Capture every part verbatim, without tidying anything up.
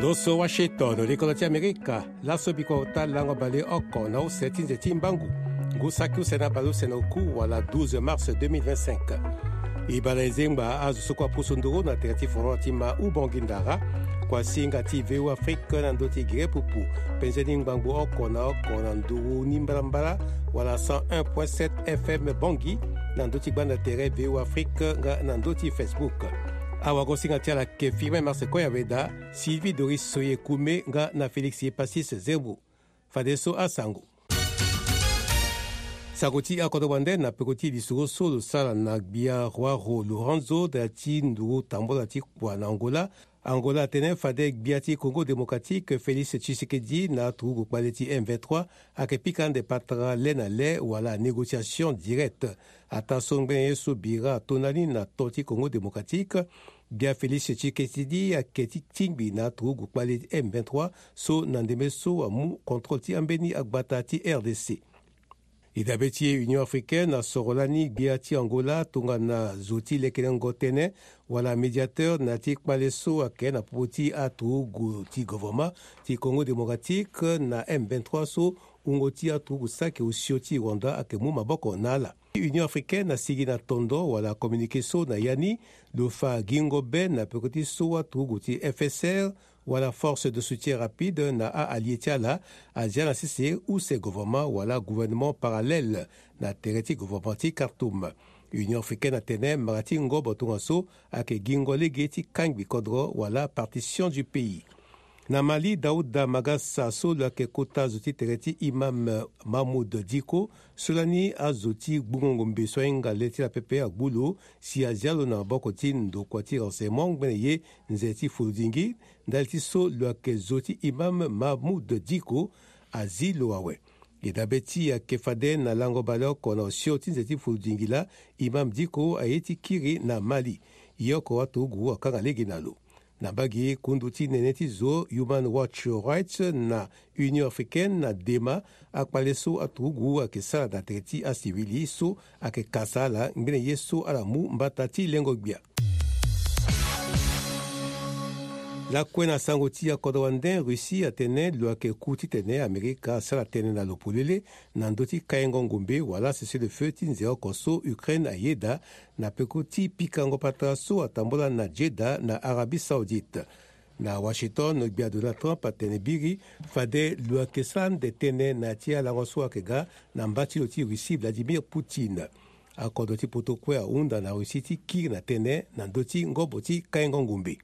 Oso Washington, likolo ti Amerika. Laso bikua ota lango baleoko na use ti nze ti mbangu, ngu saki use na baleuse na oku wala douze mars deux mille vingt-cinq. E baa na e zengba azo so kue apusu nduru na tere ti folon ti ma Ubongi Ndara. Kuasinga ti V O Afrique na ndö ti gere pupu, penze ni ngbangbo oko na oko na nduru ni mbalambala, wala cent un point sept F M Bangui, na ndö ti gbanda tere V O Afrique nga na ndö ti Facebook. Awagosinga ti ala ke Firmin Marsecoy Aveda, Sylvie Doris Soye Kume nga na Félix Epassis Zembo. Fadeso asango. Sango ti akodro wande na peko ti lisoro so lo sara na gbia João Lourenço da ti nduru tambola ti kua na Angola. Angola atene fade gbia ti Congo Démocratique Félix Tshisekedi na aturugu kpale ti M vingt-trois ayeke pika ande patara le na le wala négociation directe. Ataa so ngbene ye so bira ato ndani na to ti Congo Démocratique, gbia Félix Tshisekedi ayeke ti tingbi na aturugu kpale M vingt-trois so na ndembe so amu contrôle ti ambeni agbata ti R D C. E dabe ti e Union Africaine asoro lani gbia ti Angola tongana zo ti lekelengo tënë wala médiateur na ya ti kpale so ayeke na popo ti aturugu ti gouvernement ti Congo Démocratique na M vingt-trois so wungo ti aturugu saki osio ti Rwanda ayeke mu maboko na ala. Union Africaine asigi na tondo wala communiqué so na ya ni lo fa gingo be na peko ti so aturugu ti F S R wala Force de Soutien Rapide na a-allié ti ala azia na sese use gouvernement wala gouvernement parallèle na tere ti gouvernement ti Khartoum. Union Africaine atene mara ti ngobo tongaso ayeke gingo lege ti kangbi kodro wala partition du pays. Na Mali, Daouda Magassa so lo yeke kota zo ti tere ti Imam Mahmoud Dicko, so lani azo ti gbungo ngombe so ahinga le ti la pepe agbu lo si azia lo na maboko ti ndokua ti renseignement ngbene ye nze ti fuludingi, ndali ti so lo yeke zo ti Imam Mahmoud Dicko azi lo awe. E dabe ti e ayeke fade na lango baleoko na osio ti nze ti fuludingi laa, Imam Dicko aye ti kiri na Mali. Ye oko aturugu akanga lege na lo. Na mbage kundu ti nene ti zo Human Watch Rights na Union Africaine na dema akpale so aturugu ayeke sara na tere ti asivili so ayeke kasa ala ngbene ye so ala mu mbata ti lengo gbia. Lakue na sango ti akodro wande, Russie atene lo yeke ku titene Amerika asara tënë na lo polele na ndö ti kaingo ngombe wala cessez-le-feu ti nze oko so Ukraine ayeda na peko ti pikango patara so atambula na Jeddah na Arabie Saoudite. Na Washington, gbia Donald Trump atene biri fade lo yeke sara ande tënë na ya ti alango so ayeke ga na mba ti lo ti Russie Vladimir Poutine. Akodro ti poto kue ahunda na Russie ti kiri na tënë na ndö ti ngobo ti kaingo ngombe.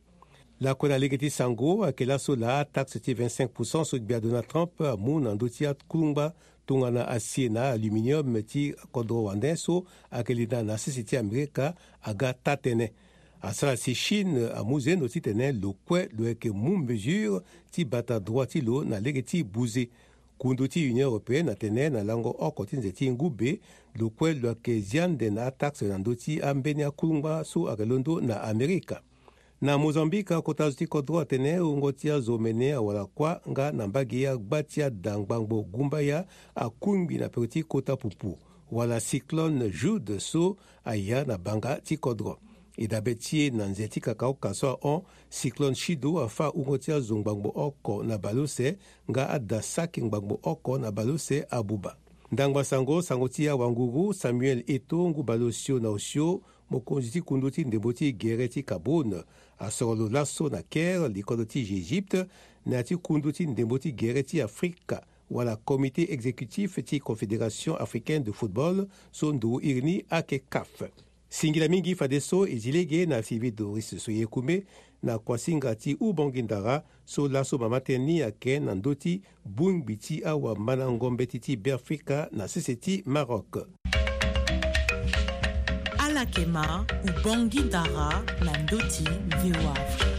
Lakue na lege ti sango ayeke laso laa ataxe ti vingt-cinq pour cent so gbia Donald Trump amu na ndö ti akulungba tongana acier na aluminium ti kodro wande so ayeke linda na sese ti Amerika aga taa-tënë. Asara si Chine amu zendo titene lo kue lo yeke mu mesure ti bata droit ti lo na lege ti buze. Kundu ti Union Européenne atene na lango oko ti nze ti ngu be lo kue lo yeke zia ande na ataxe na ndö ti ambeni akulungba so ayeke londo na Amerika. Na Mozambique, akota zo ti kodro atene wungo ti azo omene awara kuâ nga na mbage agba ti ada ngbangbo gumbaya akungbi na peko ti kota pupu wala cyclone Jude so aya na banga ti kodro. E dabe ti e na nze ti kakaoka so ahon, cyclone Chido afâ wungo ti azo ngbangbo oko na baleuse nga ada saki ngbangbo oko na baleuse abuba. Ndangba sango, sango ti awanguru Samuel Eto'o, ngu baleosio na osio, mokonzi ti kundu ti ndembo ti gere ti Cameroun, asoro lo laso na Caire, likolo ti Egypte, na ya ti kundu ti ndembo ti gere ti Afrika wala Comité exécutif ti Confédération africaine de football so nduru iri ni ayeke CAF. Singila mingi fadeso e zi lege na Sylvie Doris Soye Kume na kuasinga ti Ubongi Ndara so laso mama tënë ni ayeke na ndö ti bongbi ti awamana ngombe ti ti Beafrika na sese ti Maroc. Ala yeke ma Ubongi Ndara na ndö ti V O A Afrique.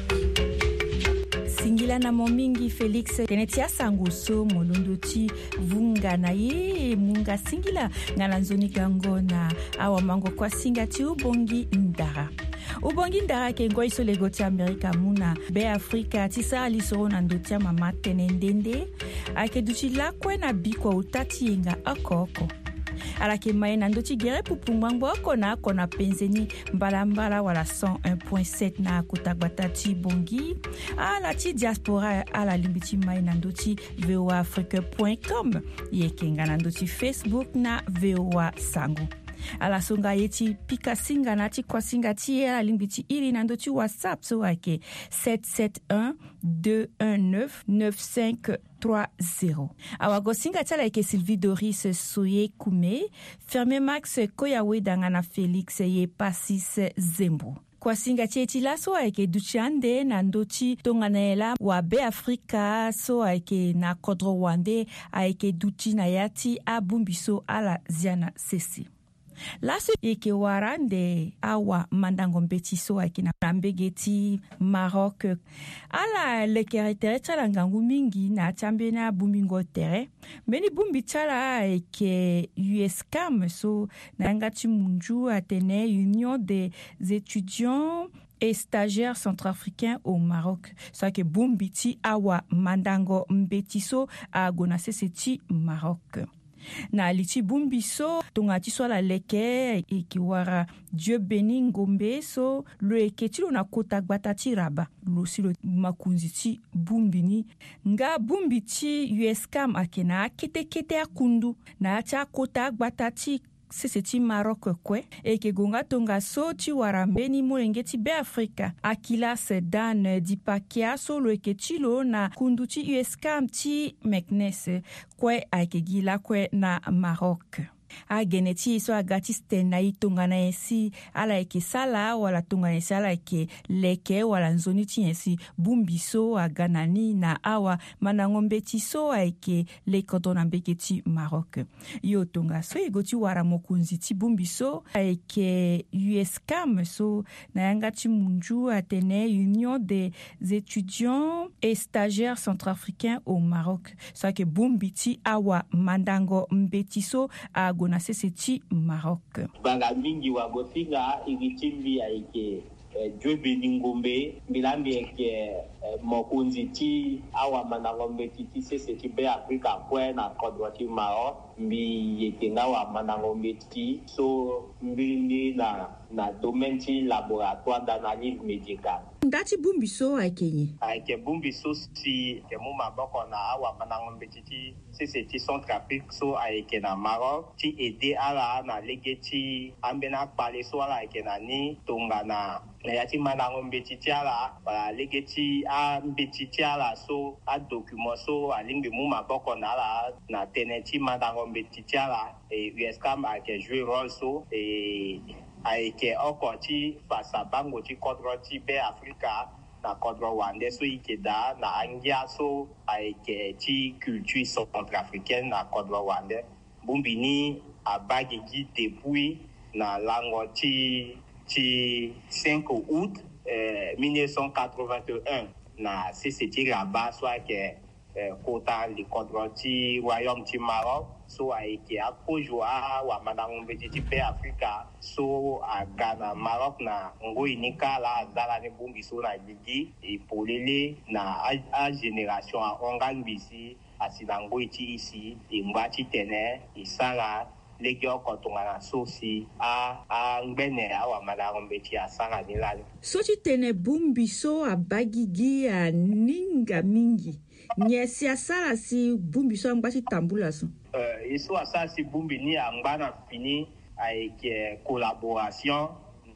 Singila na mo mingi Félix, tënë ti asango so mo londo ti vunga na ye, munga singila nga na nzoni gango na awamango kuasinga ti Ubongi Ndara. Ubongi Ndara ayeke ngoi so lego ti Amerika amu na Beafrika ti sara lisoro na ndö ti amama tënë nde nde. Ayeke duti lakue na bikua ota ti yenga oko oko. Ala yeke mai na ndö ti gere pupu ngbangbo oko na oko na penze ni, mbalambala wala cent un point sept na kota gbata ti Bangui. Ala ti diaspora ala lingbi ti mai na ndö ti V O A Afrique point com. E yeke nga na ndö ti Facebook na V O A Sango. Ala so nga ye ti pika singa na ti kuasinga ti e ala lingbi ti iri na ndö ti WhatsApp so ayeke sept sept un deux un neuf neuf cinq trois zéro. Awagosinga ti ala ayeke Sylvie Doris Soye Kume, Fermé Max Koyaweda nga na Félix Yepasis Zembo. Kuasinga ti e ti laso ayeke duti ande na ndö ti tongana nyen laa wabeafrika so ayeke na kodro wande ayeke duti na ya ti abongbi so ala zia na sese. Laso e yeke wara ande awamandango mbeti so ayeke na mbege ti Maroc. Ala lekere tere ti ala ngangu mingi na ya ti ambeni abongbingo tere. Mbeni bongbi ti ala ayeke USCAM so na yanga ti munzu atene Union des étudiants et stagiaires centrafricains au Maroc, so ayeke bongbi ti awamandango mbeti so ague na sese ti Maroc. Na li ti bongbi so tongana ti so ala leke e yeke wara Dieu Béni Ngombe so lo yeke ti lo na kota gbata ti Rabat. Lo si lo makonzi ti bongbi ni. Nga bongbi ti USCAM ayeke na akete kete akundu na ya ti akota agbata ti sese ti Maroc kue. E yeke gue nga tongaso ti wara mbeni molenge ti Beafrika, Akilas Dan Dipakia so lo yeke ti lo na kundu ti USCAM ti Meknes kue ayeke gi lakue na Maroc. Agene ti e so aga ti tene na e tongana nyen si ala yeke sala wala tongana nyen si ala yeke leke wala nzoni ti nyen si bongbi so aga na ni na awamandango mbeti so ayeke lekodro na mbege ti Maroc. Yo tongaso e gue ti wara mokonzi ti bongbi so ayeke USCAM so na yanga ti munzu atene Union des étudiants et stagiaires centrafricains au Maroc, so ayeke bongbi ti awamandango mbeti so ague na sese ti Maroc. Gbanga mingi wagosinga iri ti mbi ayeke eh, Dieu Béni Ngombe, mbi laa mbi yeke eh, mokonzi ti awamandango mbeti ti sese ti Beafrika kue na kodro ti Maroc. Mbi yeke nga wamandango mbeti so mbiri ni na na domaine ti laboratoire d'analyse médicale. Nda ti bongbi so ayeke nyen? Ayeke bongbi so si ayeke mu maboko na awamandango mbeti ti sese ti Centrafrique so ayeke na Maroc ti aide ala na lege ti ambeni akpale so ala yeke na ni tongana na ya ti mandango mbeti ti ala wala lege ti ambeti ti ala so adocument so alingbi mu maboko na ala na tënë ti mandango mbeti ti ala. E USCAM ayeke jouer rôle so e ayeke oko ti fa sabango ti kodro ti Beafrika na kodro wande so e yeke daa na angia so ayeke ti culture centrafricaine na kodro wande. Bongbi ni abaa gigi depuis na lango ti ti cinq août eh, mille neuf cent quatre-vingt-un na sese ti Rabat so ayeke eh, kota likodro ti royaume ti Maroc so ayeke akozo awamandango mbeti ti Beafrika so aga na Maroc na ngoi ni kâ laa aza lani bongbi so na gigi e polele na a- agénération ahon nga ngbii si asi na ngoi ti e si e ngba titene e sara legeoko tongana so si a angbene awamandango mbeti asara ni lani. So ti tene bongbi so abaa gigi aninga mingi. Nyen si asara si bongbi so angba ti tambula so? Eh, ye so asara si bongbi ni angba na fini ayeke collaboration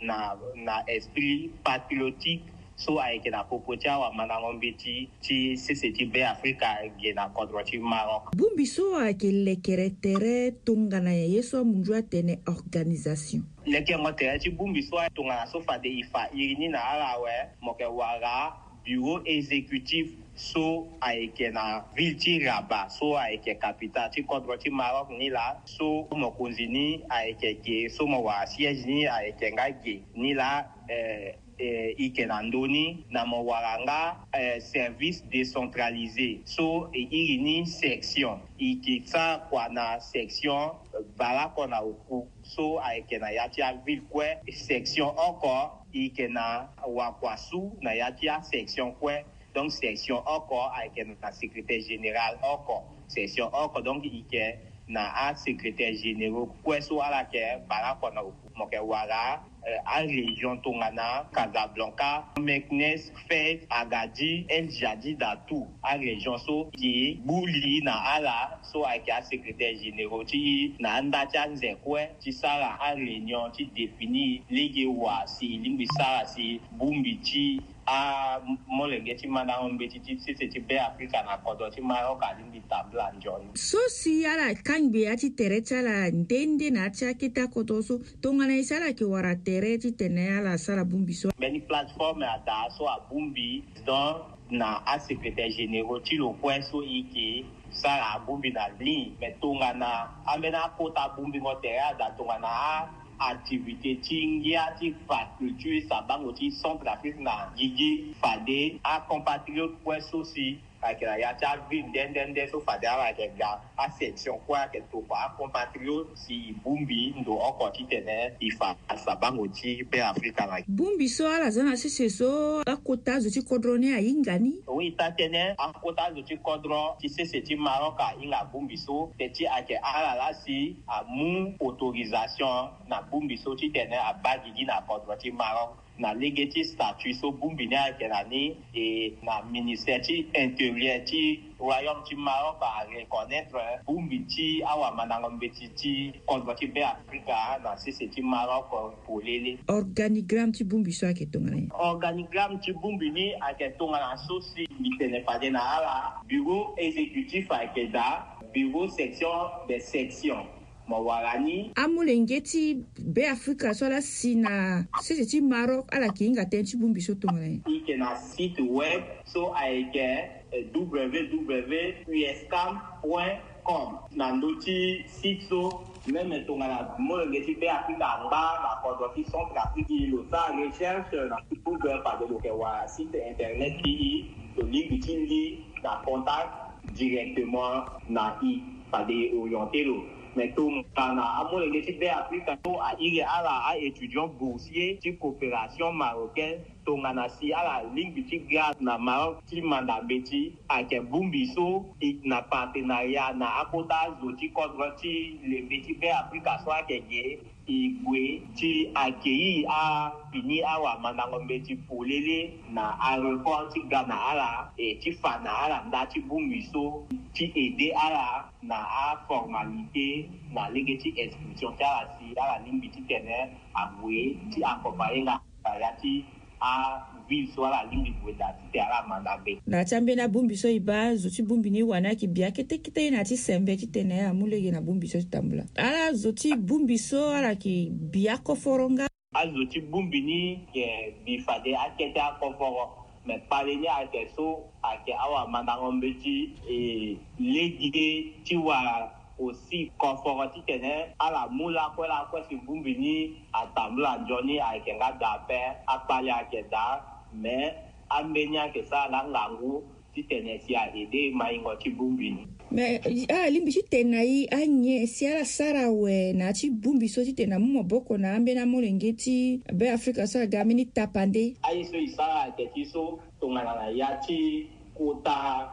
na na esprit patriotique so ayeke na popo ti awamandango mbeti ti sese ti Beafrika ge na kodro ti Maroc. Bongbi so ayeke lekere tere tongana nyen ye so amunzu atene organisation? Lekengo tere ti bongbi so tongana so fade e fa iri ni na ala awe, mo yeke wara bureau exécutif so ayeke na ville ti Rabat so ayeke capitale ti kodro ti Maroc ni laa. So mokonzi ni ayeke ge so mo wara siège ni ayeke nga ge ni laa. Eh, eh, e yeke na ndö ni na mo wara nga eh, service décentralisé so e iri ni section. E yeke sara kua na section eh, baleoko na oku so ayeke na ya ti aville kue. Section oko e yeke na wakua su na ya ti asection kue. Donc section oko ayeke na secrétaire général oko. Section oko donc e yeke na asecrétaire généraux kue so ala yeke bale oko na oku. Mo yeke wara arégion tongana Casablanca, Meknes, Fès, Agadi, El Jadida, tout arégion so e gbu li na ala so ayeke asecrétaire généraux ti e na anda ti anze kue ti sara aréunion ti définir lege wa si e lingbi sara si bongbi ti amolenge ti mandango mbeti ti sese ti Beafrika na kodro ti Maroc alingbi tambula nzoni. So si ala kangbi ya ti tere ti ala nde nde na ya ti akete akodro so, tongana nyen si ala yeke wara tere titene ala sara bongbi so? Mbeni plateforme ada so abongbi président na asecrétaire généraux ti lo kue so e yeke sara abongbi na ligne. Me tongana ambeni akota bongbingo tere ada tongana a activité ti ngia ti faculture sabango ti Centrafrique na gigi, fade acompatriote kue so si ayeke na ya ti aville nde nde nde so fade ala yeke ga asection kue ayeke tokua acompatriote si e bongbi ndo oko titene e fa sabango ti Beafrika na. Bongbi so ala za na sese so akota azo ti kodro ni ahinga ni? Oui, ita tene akota azo ti kodro ti sese ti Maroc ahinga bongbi so, te ti ayeke ala laa si amu autorisation na bongbi so titene abaa gigi na kodro ti Maroc. Na lege ti statut so bongbi ni ayeke na ni, e na ministère ti intérieur ti royaume ti Maroc areconnaitre bongbi ti awamandango mbeti ti kodro ti Beafrika na sese ti Maroc polele. Organigramme ti bongbi so ayeke tongana nyen? Organigramme ti bongbi ni ayeke tongana so si mbi tene fade na ala: bureau exécutif ayeke daa, bureau section des sections. Mo wara ni. Amolenge ti Beafrika so ala si na sese ti Maroc ala yeke hinga tënë ti bongbi so tongana nyen? E yeke na site web so ayeke www uscam point com. Na ndö ti site so, même tongana molenge ti Beafrika angba na kodro ti Centrafrique, lo sara recherche na Google, fade lo yeke wara site internet ti e, lo lingbi ti li na contact directement na e, fade e orienter lo. Mais tongana amolenge ti Beafrika so a iri ala a-étudiant boursier ti coopération marocaine, tongana si ala lingbi ti ga na Maroc ti manda mbeti, ayeke bongbi so e na partenariat na akota azo ti kodro ti lembe ti Beafrika so ayeke ge, e gue ti accueillir afini awamandango mbeti polele na aéroport ti ga na ala, e ti fa na ala nda ti bongbi so ti aider ala na aformalité na lege ti inscription ti ala si ala lingbi titene ague ti accompagner nga na ya ti aville so ala lingbi gue daa titene ala manda mbeti. Na ya ti ambeni abongbi so e baa, zo ti bongbi ni wani ayeke bi akete kete ye na ya ti sembe titene amu lege na bongbi so ti tambula. Ala zo ti bongbi so ala yeke bi akoforo nga? Azo ti bongbi ni yeke bi fade akete akoforo. Me kpale ni ayeke so ayeke awamandango mbeti, e lege ti wara aussi koforo titene ala mu lakue lakue si bongbi ni atambula nzoni ayeke nga daa ape. Akpale ayeke daa, me ambeni ayeke sara nga ngangu titene si a aider maingo ti bongbi ni. Me alingbi ti tene na e anyen si ala sara awe na ya ti bongbi so titene amu maboko na ambeni amolenge ti Beafrika so aga ambeni tapande? Aye so e sara ayeke ti so, tongana na ya ti kota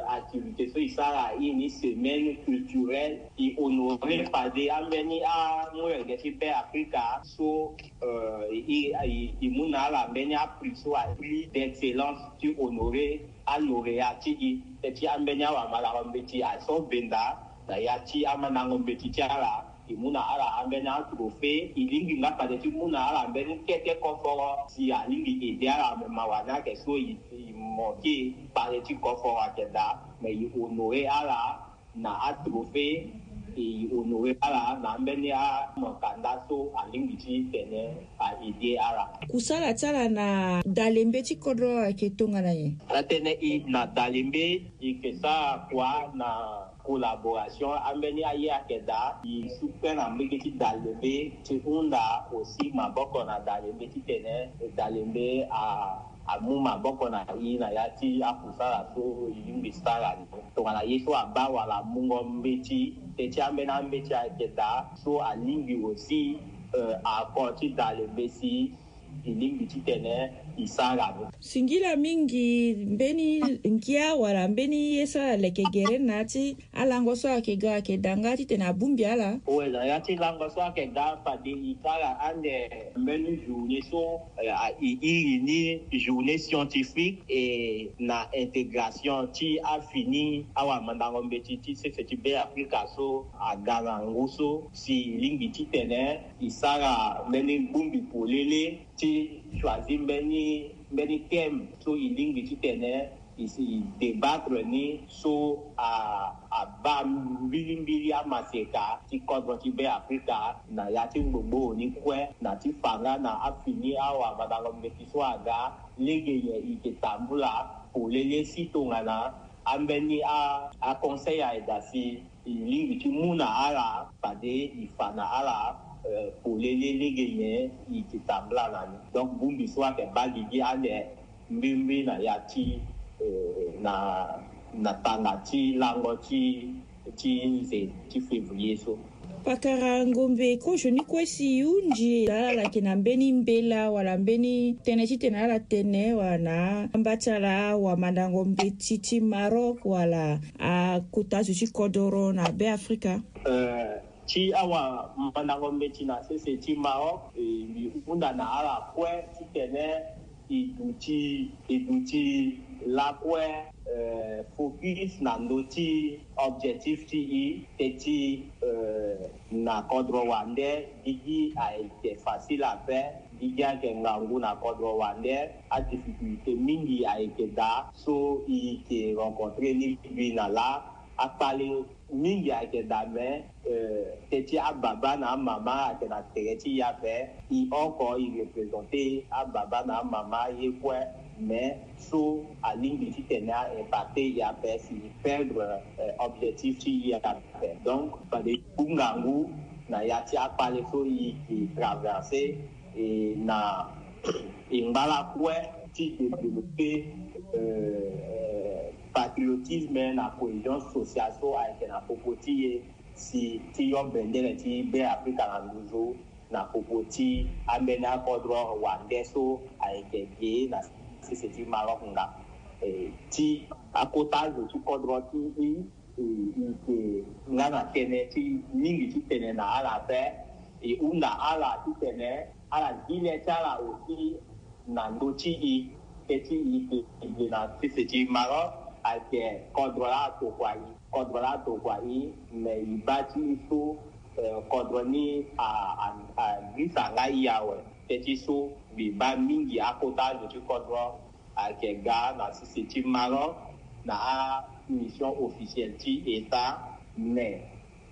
activité so e sara aye ni semaine culturelle, e honorer fade ambeni amolenge ti Beafrika so, e mu na ala mbeni aprix so a prix d'excellence ti honorer alauréat ti e. Te ti ambeni awamalango mbeti aso benda na ya ti amandango mbeti ti ala, e mu na ala ambeni atrophée. E lingbi nga fade ti mu na ala mbeni kete koforo si alingbi aider ala. Me mawa ni ayeke so e manquer kpale ti koforo ayeke daa, me e honorer ala na atrophée, e honorer ala na ambeni amokanda so alingbi titene a aider ala. Kusala ti ala na dalembe ti kodro ayeke tongana nyen? Atene e na dalembe e yeke sara kua na collaboration. Ambeni aye ayeke daa, e supe na mbege ti dalembe ti hunda aussi maboko na dalembe titene dalembe a amu maboko na e na ya ti akusala so e lingbi sara ni. Tongana ye so abaa wala amungo mbeti, te ti ambeni ambeti ayeke daa so alingbi aussi, euh, ako ti dalembe si e lingbi titene e sara ni. Singila mingi mbeni ngia wala mbeni ye so ala leke gere na ya ti alango so ayeke ga ayeke daa nga titene abongbi ala. Oe, na ya ti lango so ayeke ga fade e sara ande mbeni journée so, eh, a- e iri ni journée scientifique et na intégration ti afini awamandango mbeti ti sese ti Be Afrika so aga na ngu so si e lingbi titene e sara mbeni bongbi polele ti choisir mbeni mbeni thème so e lingbi titene e si e débattre ni so a abaa mbilimbili amaseka ti kodro ti Be Afrika na ya ti ngbongboro ni kue na ti fa nga na afini awamandango mbeti so aga lege nyen e yeke tambula polele si tongana ambeni a aconseil ayeke daa si e lingbi ti mu na ala fade e fa na ala, eh, polele lege nyen e yeke tambula na ni. Donc bongbi so ayeke baa gigi ande mbi mbi na ya ti, eh, na na tanga ti lango ti ti nze ti février so. Pakara ngombe kozo ni kue si e hunzi ala ala yeke na mbeni mbela wala mbeni tënë titene ala tene wala na amba ti ala wamandango mbeti ti Maroc wala akota zo ti kodoro na Be Afrika. Eh, ti awamandango mbeti na sese ti Maroc, eh, mbi hunda na ala kue titene e duti e duti lakue, eh, focus na ndö ti objectif ti e, teti, eh, na kodro wande gigi ayeke facile ape. Gigi ayeke ngangu na kodro wande. Adifficulté mingi ayeke daa so e yeke rencontrer ni gbi na laa. Akpale mingi ayeke daa me, eh, teti ababa na amama ayeke na tere ti e ape. E oko e représenter ababa na amama ye kue, mais so alingbi titene a impacter e ape si e perdre, eh, objectif ti e ape. Donc fade e ku ngangu na ya ti akpale so e yeke traverser, e na e ngba lakue ti développer, eh, patriotisme na cohésion sociale so ayeke na popo ti e si ti yo bendele ti Be Afrika na nduzu na popo ti ambeni akodro wande so ayeke ge na sese ti Maroc nga. Eh, ti akota zo ti kodro ti e, e, e yeke nga na tënë ti mingi titene na ala ape. E hunda ala titene ala gi le ti ala aussi na ndö ti e. Teti e yeke e yeke na sese ti Maroc ayeke kodro laa atokua e. Kodro laa atokua e, me e baa ti e so, eh, kodro ni a a a girisa nga e awe. Teti so mbi baa mingi akota azo ti kodro ayeke ga na sese ti Maroc na amission officielle ti État, mais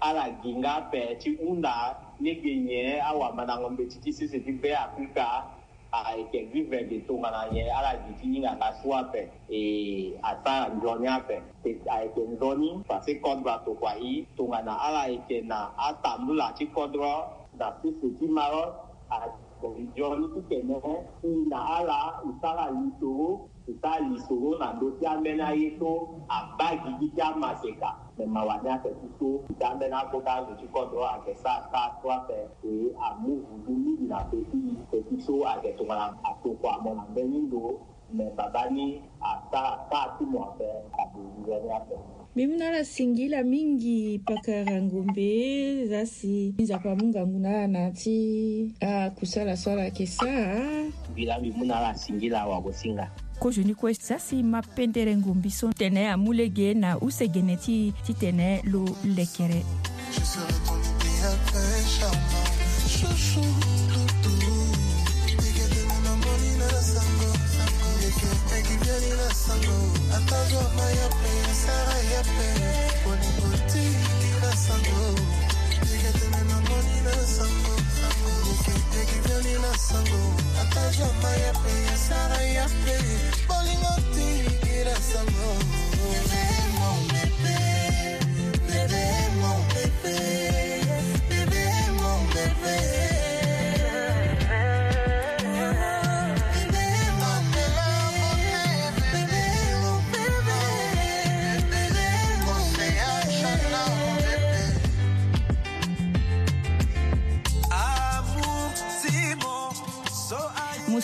ala gi nga ape ti hunda lege nyen awamandango mbeti ti sese ti Be Afrika ayeke vivre ge tongana nyen ala gi ti hinga nga so ape. E asara nzoni ape. E ayeke nzoni parce que kodro atokua e tongana ala yeke na atambula ti kodro na sese ti Maroc. Ayeke nzoni titene e na ala e sara lisoro. E sara lisoro na ndö ti ambeni aye so abaa gigi ti amaseka. Me mawa ni ayeke ti so ti ambeni akota azo ti kodro ayeke sara kâ so ape. E amu vudu mingi na pe ti e. Pe ti so ayeke tongana atokua mo na mbeni ndo. Me babâ ni asara kâ ti mo ape. Ade nzoni ape. Mbi mu na ala singila mingi pakara ngombe. Za si Nzapa amu ngangu na ala na ya ti akusala so ala yeke sara. Mbi laa mbi mu na ala singila wagosinga. Kozo ni kue za si ma pendere ngombi so tene amu lege na use gene ti titene lo lekere.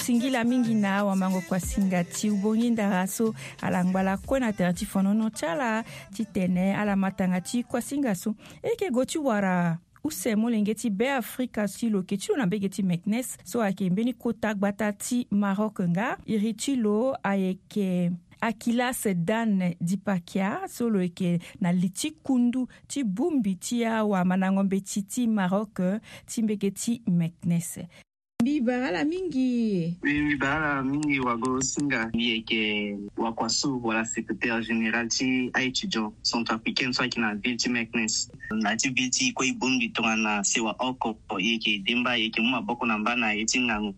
Singila mingi na awamango kuasinga ti ubongi ndara so ala ngbala kue na tere ti fonono ti ala titene ala matanga ti kuasinga so. E yeke gue ti wara use molenge ti Beafrika ti lo yeke ti lo na mbege ti Meknes so ayeke mbeni kota gbata ti Maroc nga iri ti lo ayeke Akilas Dan Dipakia so lo yeke na li ti kundu ti bongbi ti awamandango mbeti ti Maroc ti mbege ti Meknes. Mbi bara ala mingi. Mbi bara ala mingi wago singa. Mbi yeke wakuasu wala secrétaire général ti aétudiant centrafricaine so ayeke na ville ti Meknes. Na ya ti ville ti kue e bongbi tongana sewa oko, e yeke demba, e yeke mu maboko na mba na ye ti ngangu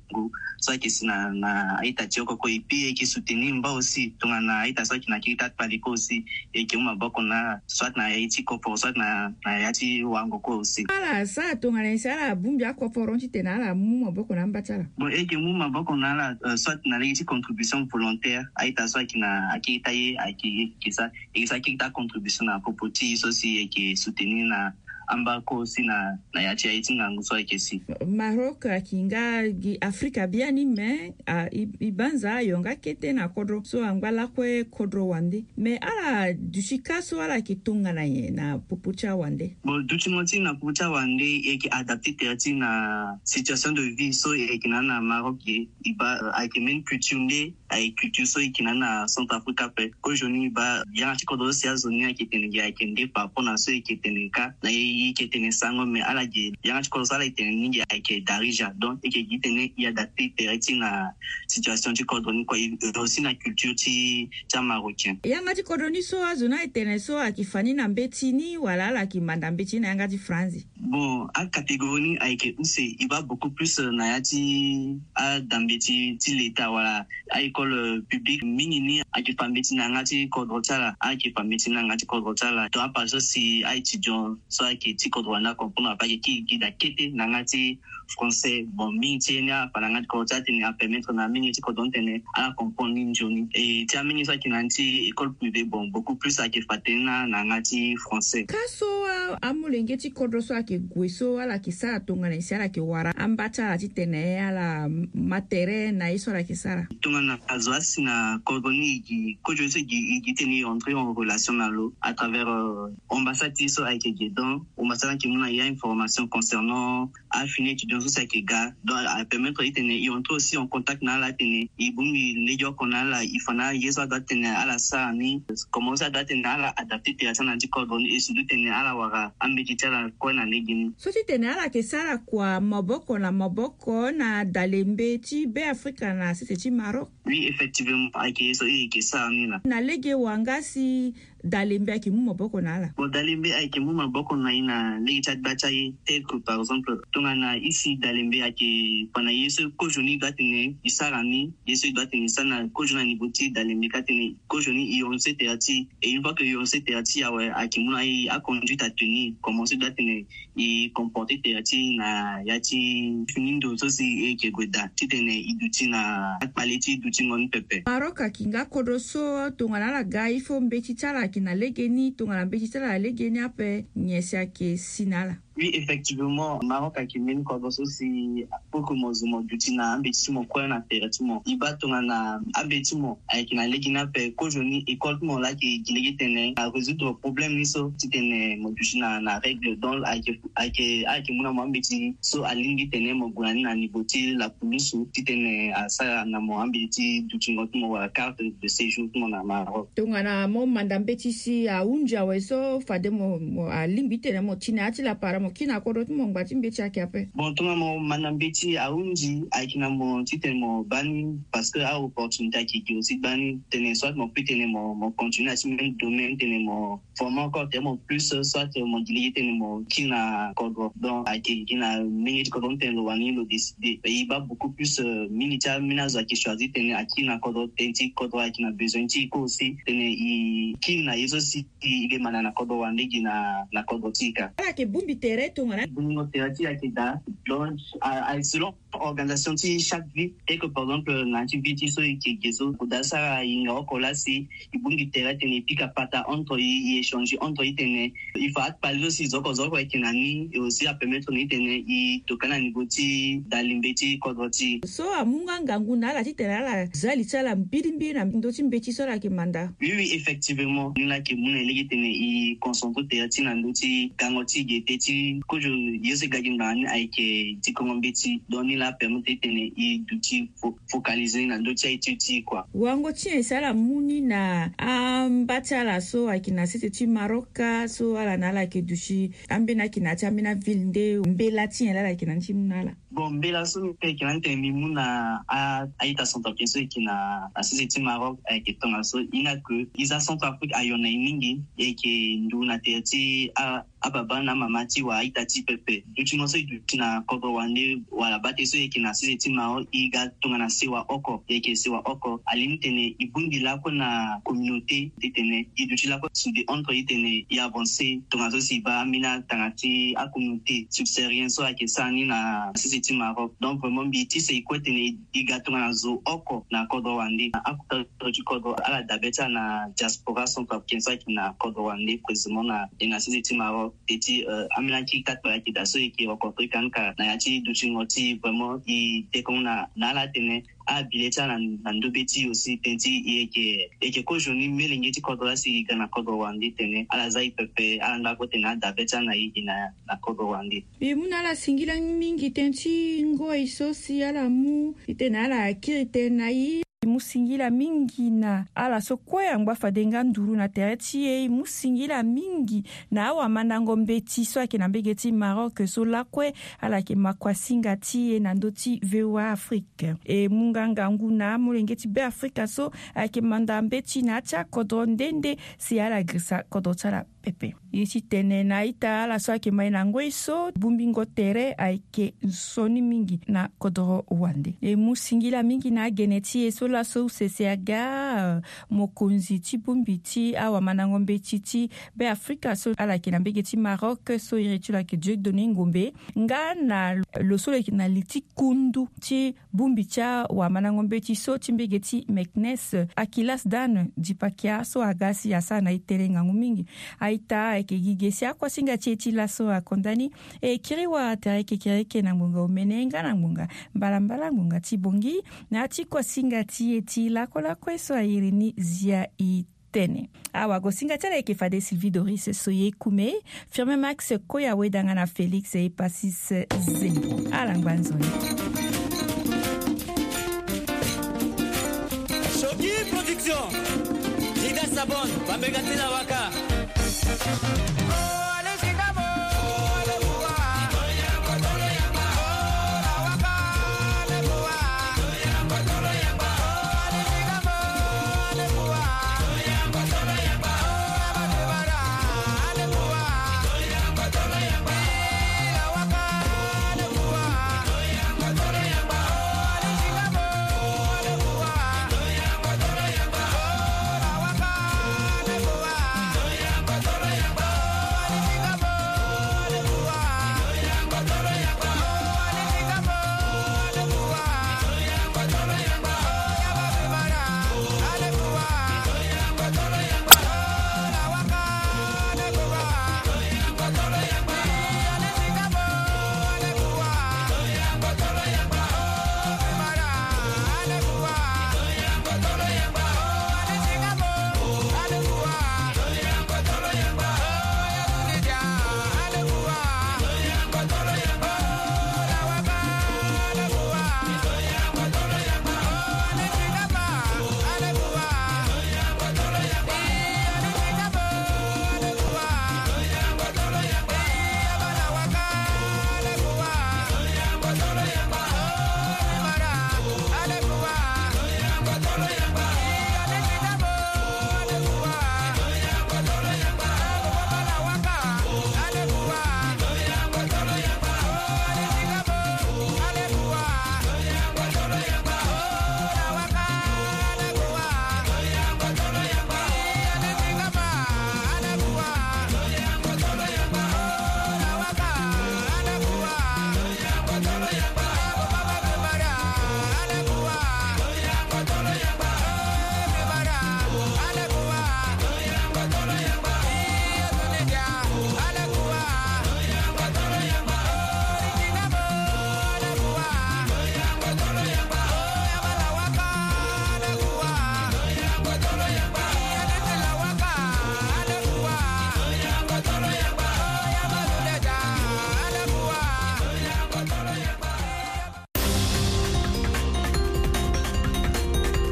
so ayeke si na na a-ita ti oko kue. E puis e yeke soutenir mba aussi tongana a-ita so ayeke na kiri ti akpale kue aussi. E yeke mu maboko na ala soit na ya ti koforo soit na na ya ti wango kue aussi. Ala sara tongana nyen si ala bongbi akoforo titene ala mu maboko na amba ti ala? Bon, e yeke mu maboko na ala, euh, soit na lege ti contribution volontaire, a-ita so ayeke na akiri ti aye ayeke, e yeke sa, e yeke sa kiri ti acontribution na popo ti e so si e yeke soutenir na amba kue aussi na na ya ti aye ti ngangu so ayeke si. Maroc ayeke nga gi Afrika biani, me a, e, e banza ayo nga kete na kodro so angba lakue kodro wande. Me ala duti ka so ala yeke tongana nyen na popo ti awande? Bon, dutingo ti e na popo ti awande, e yeke adapter tere ti e na situation de vie so e yeke na ni na Maroc ge. E baa, euh, ayeke même culture nde, ayeke culture so e yeke na ni na Centrafrique ape. Kozoni e baa yanga ti kodro so si azo ni ayeke tene ge ayeke nde par rapport na so e yeke tene ka na e, e yeke tene sango, me ala ge yanga ti kodro so ala yeke tene ni ge ayeke Darija. Donc e yeke gi tene e adapter tere ti e na situation ti kodro ni kue, e aussi na culture ti ti amarocain. Yanga ti kodro ni so azo ni ayeke tene so ayeke fa ni na mbeti ni wala ala yeke manda mbeti ni na yanga ti franzi? Bon, acatégorie ni ayeke use, e baa beaucoup plus, euh, na ya ti adambe ti ti leta wala a-école, euh, publique. Mingi ni ayeke fa mbeti na yanga ti kodro ti ala, ayeke fa mbeti na yanga ti kodro ti ala. Donc apart so si a-étudiant so ayeke ti kodro wande acomprendre ape ayeke kiri gi daa kete na yanga ti français. Bon, mingi ti ye ni afa na yanga ti kodro ti ala titene apermettre na mingi ti kodro ni titene ala comprendre ni nzoni. E ti amingi so ayeke na ni ti école privée, bon, beaucoup plus ayeke fa tënë na na yanga ti français. Ka so a, amolenge ti kodro so ayeke gue so ala yeke sara tongana nyen si ala yeke wara amba ti ala titene ala ma tere na ye so ala yeke sara? Tongana azo asi na kodro ni, e gi kozoni so e gi, e gi titene e entrer en relation na lo à travers, euh, ambassade ti e so ayeke ge. Donc ambassade ayeke mu na e a-information concernant afini étudiant so si ayeke ga. Donc apermettre e titene e entrer aussi en contact na ala titene e bongbi legeoko na ala, e fa na ala ye so adoit titene ala sara ni, comment so adoit titene ala adapter tere ti ala na ya ti kodro ni, e surtout titene ala wara ambeti ti ala kue na lege ni. So titene ala yeke sara kua maboko na maboko na dalembe ti Beafrika na sese ti Maroc? Oui, effectivement, ayeke ye so e yeke sara ni laa. Na lege wanga si dalembe ayeke mu maboko na ala? Bon, dalembe ayeke mu maboko na e na lege ti agba ti aye, tel que par exemple tongana e si dalembe ayeke fa na ye so kozoni e doit titene e sara ni, ye so e doit titene e sara na kozoni na niveau ti dalembe ka titene kozoni e hionse tere ti e. Une fois que e hionse tere ti e awe, ayeke mu na e aconduite à tenir, comment so e doit titene e comporter tere ti e na ya ti fini ndo so si e yeke gue daa titene e duti na akpale ti dutingo ni pepe. Maroc ayeke nga kodro so tongana ala ga il faut mbeti ti ala ayeke na lege ni, tongana mbeti ti ala na lege ni ape nyen si ayeke si na ala? Oui, effectivement, Maroc ayeke mbeni kodro so si pour que mo zo mo duti na ambeti ti mo kue na tere ti mo. E baa tongana ambeti ti mo ayeke na lege ni ape, kozoni école ti mo laa ayeke gi lege titene a résoudre problème ni so titene mo duti na na règle. Donc ayeke ayeke ayeke mu na mo ambeti so alingbi titene mo gue na ni na niveau ti lapulusu titene asara na mo ambeti ti dutingo ti mo wala carte de séjour ti mo na Maroc. Tongana mo manda mbeti si ahunzi awe so fade mo, mo alingbi titene mo ti na ya ti lapara mo kiri na kodro ti mo ngba ti mbeti ayeke ape? Bon, tongana mo manda mbeti ahunzi, ayeke na mo titene mo baa ni, parce que a-opportunité ayeke gi aussi baa ni titene soit mo peut titene mo mo continuer na ti même domaine titene mo former encore titene mo plus, soit mo gi lege titene mo kiri na kodro. Donc ayeke gi na mbenge ti kodro ni titene lo wani lo décider. E baa beaucoup plus, euh, mingi ti ambeni azo ayeke choisir titene akiri na kodro tënë ti kodro ayeke na besoin ti e kue aussi titene e kiri na ye so si e le manda na kodro wande gi na na kodro ti e ka. Ala yeke bongbi tere tere tongana. Bongo tere ti ayeke daa. Donc, a selon organisation ti chaque vie. Eke par exemple na ti vie ti so eke ge so oda sara inga oko lasi, ibungi tere tene ipika pata entre i i échange entre i tene i fa akpali so si zoko zoko eke na ni e aussi apermettre ni tene i toka na niveau ti dalimbe ti kodro ti. So amu nga ngangu na ala ti tene ala za li ti ala mbirimbiri na ndö ti mbeti so ala yeke manda. Oui oui, effectivement ni laa yeke mu na e lege tene i concentre tere ti na ndö ti gango ti gete ti kozo. Yo so e ga gi ngbanga ni ayeke ti kongo mbeti donc ni laa apermettre tene i duti focaliser na ndö ti aye ti ti kua. Wango ti nyen si ala mu ni na amba ti ala so ayeke na sese ti maroc ka so ala na ala ayeke duti ambeni ayeke na ya ti ambeni avile nde mbela ti nyen laa ala yeke na ni ti mu na ala? Bon mbela so mbi pe yeke na ni tene mbi mu na a-ita centrafricain so yeke na sese ti maroc ayeke tongaso i nga ke i za centrafrique ayo na i mingi. Yeke ndu na tere ti a ababa na amama ti wa a-ita ti pepe. Dutingo so e duti na kodro wande wala bate so e yeke na sese ti maro e ga tongana sewa oko e yeke sewa oko alingbi tene e bongbi lakue na communauté ti tene e duti lakue sous de entre e tene e avancer tongaso si e baa ambeni atanga ti acommunauté subsaharien so ayeke sara ni na sese ti maroc. Donc vraiment mbi ti se e kue tene e ga tongana zo oko na kodro wande na akota ti kodro ala dabe ti ala na diaspora centrafricain so ayeke na kodro wande précisément na e na sese ti maroc. Te ti ambeni akiri ti akpari ayeke daa so e yeke rencontre kani ka na ya ti dutingo ti vraiment e tekongo na ala atene abile ti ala na ndobe ti e aussi tene ti e yeke e yeke kozo ni melenge ti kodro lasi e ga na kodro wande tene ala za e pepe ala nda kue tene adabe ti ala na e gi na kodro wande. Mbi mu na ala singila mingi tene ti ngoi so si ala mu e tene ala kiri tënë na e. E mu singila mingi na ala so kue angba fade nga nduru na tere ti e e mu singila mingi na awamandango mbeti so ayeke na mbege ti maroc so lakue ala yeke makuasinga ti e na ndö ti voa afrique. E mu nga ngangu na amolenge ti beafrika so ayeke manda mbeti na ya ti akodro nde nde si ala girisa kodro ti ala pepe. Ye ti tene na a-ita ala so ayeke mai na ngoi so bongbingo tere ayeke nzoni mingi na kodro wande. E mu singila mingi na agene ti e so laso use si aga mokonzi ti bongbi ti awamandango mbeti ti beafrika so ala yeke na mbege ti maroc so iri ti lo ayeke dieudonné ngombe nga na lo so lo yeke na li ti kundu ti bongbi ti awamandango mbeti so ti mbege ti meknes akilas dane dipakia so aga si asara na e tënë ngangu mingi. A-ita ayeke gi ge si akuasinga ti e ti laso akonda ni. E kiri wara tere kekereke na ngbonga omene nga na ngbonga mbalambala ngbonga ti bongi na ya ti kuasinga ti e ti lakolakue so airi ni zia e tene. Awagosinga ti ala yeke fade sylvie doris soye kume, firme max koya wedanga na félix epasis. Zembo ala ngba nzoni. Shoki production. Dida sabon bambeka ti na waka.